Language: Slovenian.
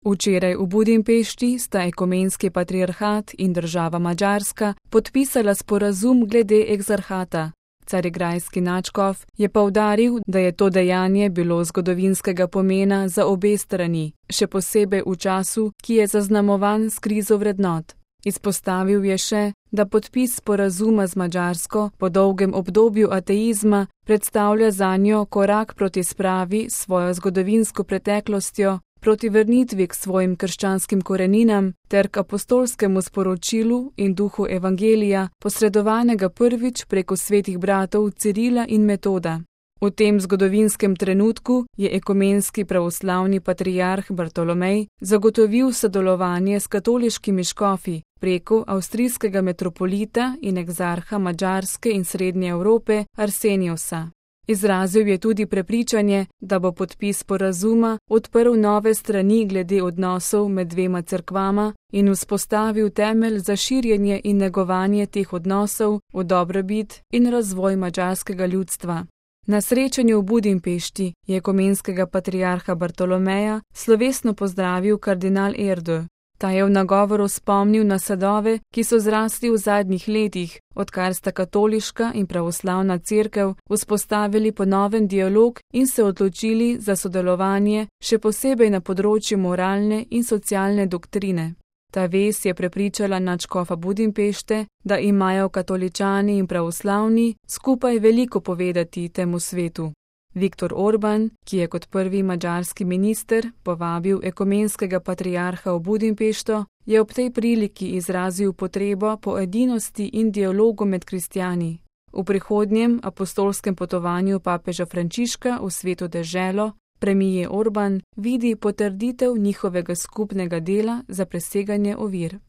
Včeraj v Budimpešti sta ekumenski patriarhat in država Madžarska podpisala sporazum glede ekzarhata. Carigrajski nadškof je poudaril, da je to dejanje bilo zgodovinskega pomena za obe strani, še posebej v času, ki je zaznamovan s krizo vrednot. Izpostavil je še, da podpis sporazuma z Madžarsko po dolgem obdobju ateizma predstavlja zanjo korak proti spravi s svojo zgodovinsko preteklostjo, proti vrnitvi k svojim krščanskim koreninam ter k apostolskemu sporočilu in duhu evangelija, posredovanega prvič preko svetih bratov Cirila in Metoda. V tem zgodovinskem trenutku je ekumenski pravoslavni patriarh Bartolomej zagotovil sodelovanje s katoliškimi škofi preko avstrijskega metropolita in egzarha Madžarske in Srednje Evrope Arseniosa. Izrazil je tudi prepričanje, da bo podpis sporazuma odprl nove strani glede odnosov med dvema cerkvama in vzpostavil temelj za širjenje in negovanje teh odnosov v dobrobit in razvoj madžarskega ljudstva. Na srečanju v Budimpešti je ekumenskega patriarha Bartolomeja slovesno pozdravil kardinal Erdő. Ta je v nagovoru spomnil na sadove, ki so zrasli v zadnjih letih, odkar sta katoliška in pravoslavna cerkev vzpostavili ponoven dialog in se odločili za sodelovanje, še posebej na področju moralne in socialne doktrine. Ta vez je prepričala nadškofa Budimpešte, da imajo katoličani in pravoslavni skupaj veliko povedati temu svetu. Viktor Orban, ki je kot prvi madžarski minister povabil ekumenskega patriarha v Budimpešto, je ob tej priliki izrazil potrebo po edinosti in dialogu med kristjani. V prihodnjem apostolskem potovanju papeža Frančiška v sveto deželo premijer Orban vidi potrditev njihovega skupnega dela za preseganje ovir.